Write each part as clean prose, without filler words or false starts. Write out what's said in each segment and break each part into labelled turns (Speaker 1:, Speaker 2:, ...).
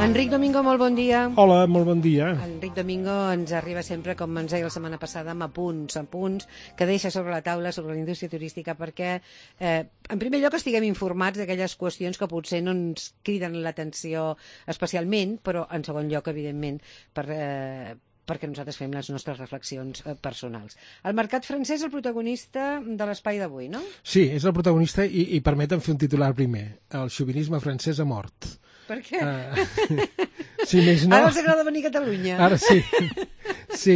Speaker 1: Enric Domingo, molt bon dia.
Speaker 2: Hola, molt bon dia.
Speaker 1: Enric Domingo ens arriba sempre, com ens deia la setmana passada, amb apunts que deixa sobre la taula sobre la indústria turística perquè, en primer lloc, estiguem informats d'aquelles qüestions que potser no ens criden l'atenció especialment, però en segon lloc, evidentment, perquè nosaltres fem les nostres reflexions personals. El mercat francès és el protagonista de l'espai d'avui, no?
Speaker 2: Sí, és el protagonista i permetem fer un titular primer. El xovinisme francès ha mort.
Speaker 1: Per què?
Speaker 2: Si més no...
Speaker 1: Ara els agrada venir a Catalunya.
Speaker 2: Ara sí, sí.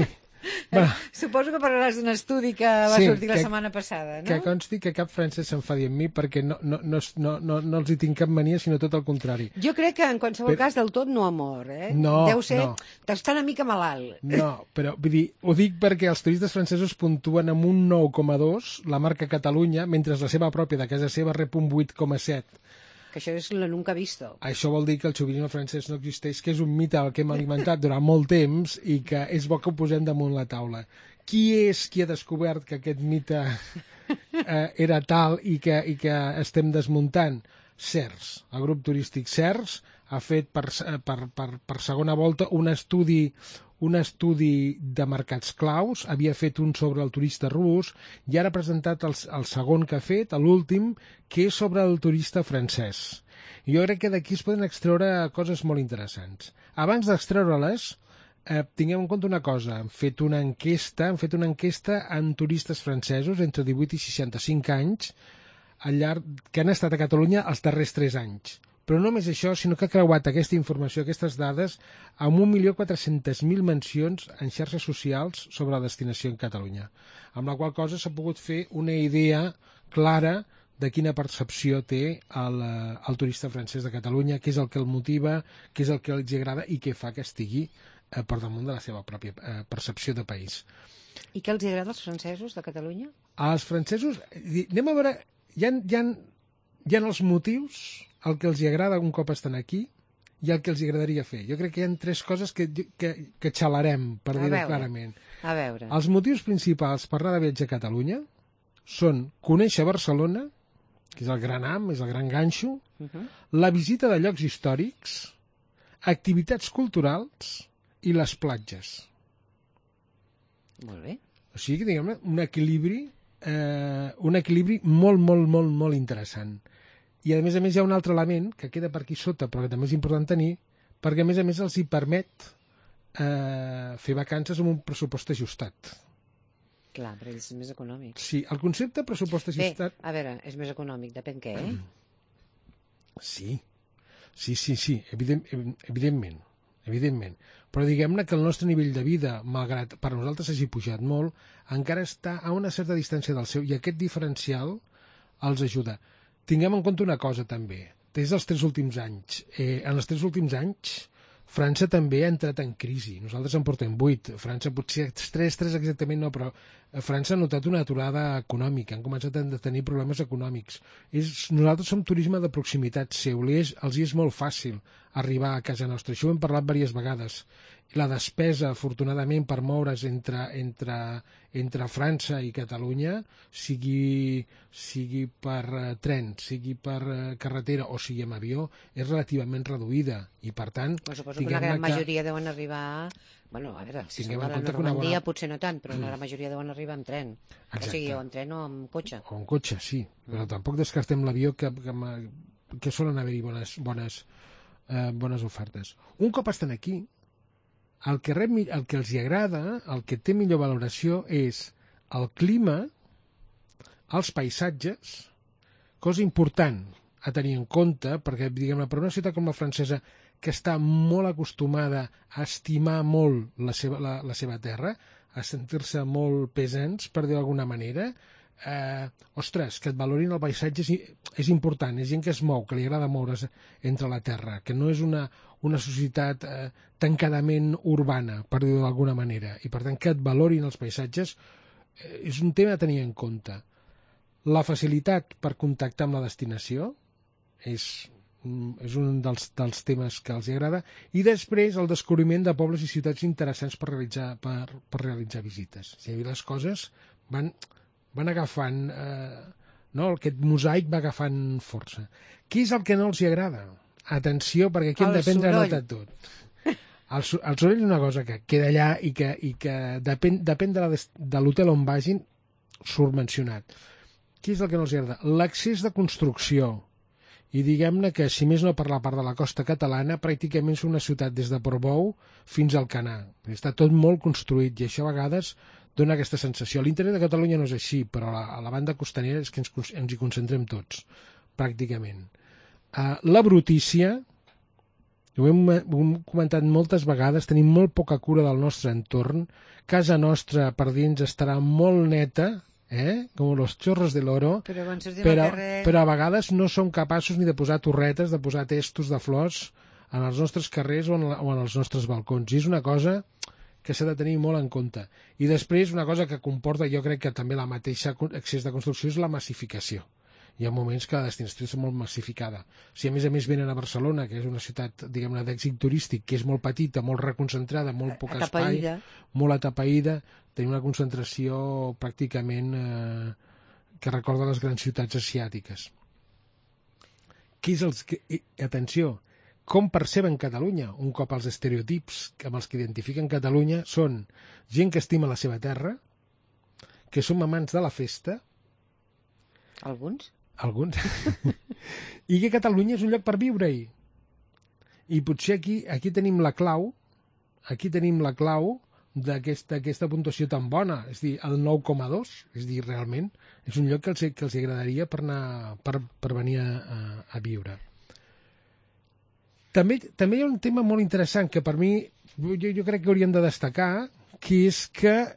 Speaker 1: Suposo que parlaràs d'un estudi que va sortir la setmana passada, no?
Speaker 2: Que consti que cap francès s'enfadi amb mi perquè no els hi tinc cap mania, sinó tot el contrari.
Speaker 1: Jo crec que en qualsevol cas del tot no ha mort, eh?
Speaker 2: No,
Speaker 1: deu ser,
Speaker 2: no.
Speaker 1: Està una mica malalt.
Speaker 2: No, però vull dir, ho dic perquè els turistes francesos puntuen amb un 9,2 la marca Catalunya, mentre la seva pròpia de casa seva rep un 8,7.
Speaker 1: Que això és la nunca visto.
Speaker 2: Això vol dir que el xovinisme francès no existeix, que és un mite al que hem alimentat durant molt temps i que és bo que ho posem damunt la taula. Qui és qui ha descobert que aquest mite era tal i que estem desmuntant? CERS. El grup turístic CERS ha fet per segona volta un estudi de mercats claus, havia fet un sobre el turista rus i ara ha presentat el segon que ha fet, l'últim, que és sobre el turista francès. Jo crec que d'aquí es poden extreure coses molt interessants. Abans d'extreure-les, tinguem en compte una cosa, han fet una enquesta en turistes francesos entre 18 i 65 anys que han estat a Catalunya els darrers 3 anys. Però no només això, sinó que ha creuat aquesta informació, aquestes dades, amb 1.400.000 mencions en xarxes socials sobre la destinació en Catalunya, amb la qual cosa s'ha pogut fer una idea clara de quina percepció té el turista francès de Catalunya, què és el que el motiva, què és el que els agrada i què fa que estigui per damunt de la seva pròpia percepció de país.
Speaker 1: I què els agrada als francesos de Catalunya?
Speaker 2: Als francesos, anem a veure, hi ha els motius, el que els agrada un cop estan aquí i el que els agradaria fer. Jo crec que hi ha 3 coses que xalarem, per dir-ho clarament.
Speaker 1: A veure.
Speaker 2: Els motius principals per anar de viatge a Catalunya són conèixer Barcelona, que és el gran ham, és el gran ganxo, la visita de llocs històrics, activitats culturals i les platges.
Speaker 1: Molt bé.
Speaker 2: O sigui, diguem-ne, un equilibri molt, molt, molt, molt interessant. I a més hi ha un altre element que queda per aquí sota, però que també és important tenir, perquè a més els hi permet fer vacances amb un pressupost ajustat.
Speaker 1: Clar, per ells és més econòmic.
Speaker 2: Sí, el concepte pressupost ajustat...
Speaker 1: Bé, a veure, és més econòmic, depèn què, eh?
Speaker 2: Sí, evidentment. Però diguem-ne que el nostre nivell de vida, malgrat per nosaltres hagi pujat molt, encara està a una certa distància del seu, i aquest diferencial els ajuda. Tinguem en compte una cosa també, des dels 3 últims anys. En els 3 últims anys, França també ha entrat en crisi. Nosaltres en portem 8. França potser 3 exactament no, però França ha notat una aturada econòmica. Han començat a tenir problemes econòmics. Nosaltres som turisme de proximitat seu. Els és molt fàcil arribar a casa nostra. Això ho hem parlat diverses vegades. La despesa, afortunadament, per moure's entre França i Catalunya, sigui per tren, sigui per carretera o sigui amb avió, és relativament reduïda. I, per tant...
Speaker 1: Suposo que una gran majoria deuen arribar... Bueno, a veure, si som a la Normandia potser no tant, però la majoria deuen arribar amb tren.
Speaker 2: Exacte.
Speaker 1: O sigui, o amb tren o amb cotxe.
Speaker 2: O amb cotxe, sí. Però tampoc descartem l'avió, que solen haver-hi bones ofertes. Un cop estan aquí, el que els hi agrada, el que té millor valoració és el clima, els paisatges, cosa important a tenir en compte, perquè, diguem-ne, per una ciutat com la francesa, que està molt acostumada a estimar molt la seva terra, a sentir-se molt pesants, per dir-ho d'alguna manera, ostres, que et valorin el paisatge és important, és gent que es mou, que li agrada moure's entre la terra, que no és una societat tancadament urbana, per dir-ho d'alguna manera, i per tant que et valorin els paisatges és un tema a tenir en compte. La facilitat per contactar amb la destinació és un dels temes que els agrada, i després el descobriment de pobles i ciutats interessants per realitzar visites. És a dir, les coses van agafant, aquest mosaic va agafant força. Què és el que no els agrada? atenció, perquè aquí hem
Speaker 1: El
Speaker 2: de prendre
Speaker 1: soroll.
Speaker 2: nota de tot. El soroll és una cosa que queda allà i que depèn de l'hotel on vagin, surt mencionat. Què és el que no els agrada? L'accés de construcció. I diguem-ne que, si més no per la part de la costa catalana, pràcticament és una ciutat des de Portbou fins al Canà. Està tot molt construït i això a vegades dona aquesta sensació. A l'interior de Catalunya no és així, però a la banda costanera és que ens hi concentrem tots, pràcticament. La brutícia, ho hem comentat moltes vegades, tenim molt poca cura del nostre entorn, casa nostra per dins estarà molt neta, com los chorros de l'oro, però a vegades no som capaços ni de posar torretes, de posar testos de flors en els nostres carrers o en els nostres balcons. I és una cosa que s'ha de tenir molt en compte. I després una cosa que comporta, jo crec que també la mateixa accés de construcció, és la massificació. Hi ha moments que la destinació és molt massificada. Si a més venen a Barcelona, que és una ciutat, diguem-ne, d'èxit turístic, que és molt petita, molt reconcentrada, molt poc espai, molt atapeïda, tenim una concentració pràcticament que recorda les grans ciutats asiàtiques. Atenció, com perceben Catalunya? Un cop els estereotips amb els que identifiquen Catalunya són gent que estima la seva terra, que som amants de la festa.
Speaker 1: Alguns.
Speaker 2: I que Catalunya és un lloc per viure-hi. I potser aquí tenim la clau d'aquesta puntuació tan bona, és a dir, el 9,2, és a dir, realment és un lloc que els agradaria per venir a viure. També hi ha un tema molt interessant que per mi jo crec que hauríem de destacar, que és que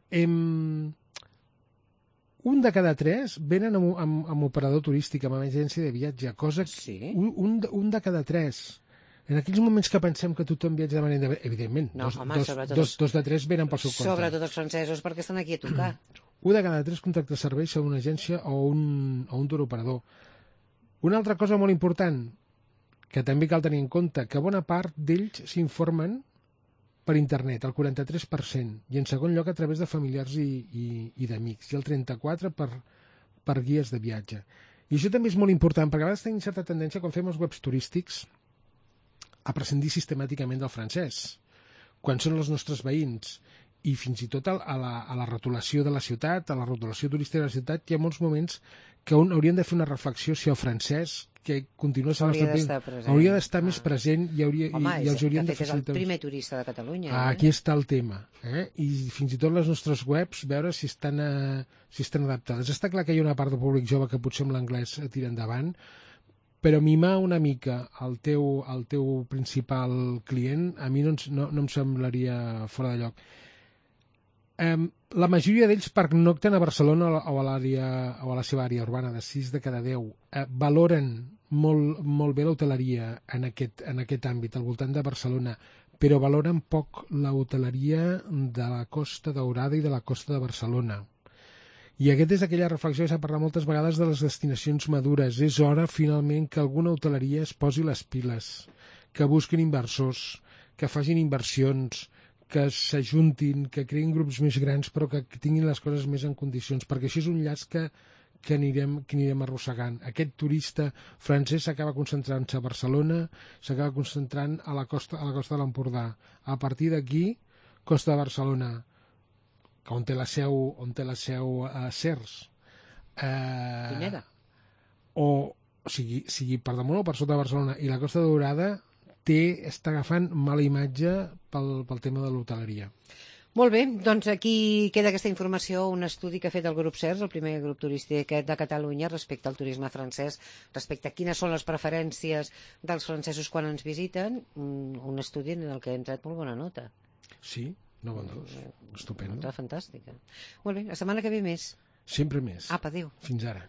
Speaker 2: un de cada 3 venen amb operador turístic, amb agència de viatge, cosa que
Speaker 1: sí.
Speaker 2: un de cada 3. En aquells moments que pensem que tothom viatja de manera evidentment, dos de 3 venen pel seu compte.
Speaker 1: Sobretot els francesos, perquè estan aquí a tocar.
Speaker 2: Un de cada 3 contracta serveis a una agència o un tour operador. Una altra cosa molt important, que també cal tenir en compte, que bona part d'ells s'informen per internet, el 43%, i en segon lloc a través de familiars i d'amics, i el 34% per guies de viatge. I això també és molt important, perquè a vegades tenim certa tendència, quan fem els webs turístics, a prescindir sistemàticament del francès, quan són els nostres veïns, i fins i tot a la rotulació de la ciutat, a la rotulació turística de la ciutat, hi ha molts moments que hauríem de fer una reflexió si el francès, que continua sent hauria d'estar més present i els hauríem de facilitar.
Speaker 1: És el primer turista de Catalunya.
Speaker 2: Aquí està el tema. I fins i tot les nostres webs, veure si estan adaptades. Està clar que hi ha una part del públic jove que potser amb l'anglès tira endavant, però mimar una mica el teu principal client a mi no em semblaria fora de lloc. La majoria d'ells pernocten a Barcelona o a la seva àrea urbana, de 6 de cada 10. Valoren molt bé l'hoteleria en aquest àmbit, al voltant de Barcelona, però valoren poc l'hoteleria de la Costa Daurada i de la Costa de Barcelona. I aquesta és aquella reflexió que s'ha parlat moltes vegades de les destinacions madures. És hora, finalment, que alguna hoteleria es posi les piles, que busquin inversors, que facin inversions, que s'ajuntin, que creïn grups més grans, però que tinguin les coses més en condicions, perquè això és un llaç que anirem arrossegant. Aquest turista francès s'acaba concentrant-se a Barcelona, s'acaba concentrant a la costa de l'Empordà. A partir d'aquí, costa de Barcelona, on té la seu a Cers.
Speaker 1: Pineda.
Speaker 2: O sigui per damunt o per sota de Barcelona. I la Costa Daurada està agafant mala imatge pel tema de l'hoteleria.
Speaker 1: Molt bé, doncs aquí queda aquesta informació, un estudi que ha fet el grup CERS, el primer grup turístic de Catalunya, respecte al turisme francès, respecte a quines són les preferències dels francesos quan ens visiten, un estudi en el que hem tret molt bona nota.
Speaker 2: Sí, 9,2. Estupendo.
Speaker 1: Nota fantàstica. Molt bé, la setmana que ve més.
Speaker 2: Sempre més.
Speaker 1: Apa, adéu.
Speaker 2: Fins ara.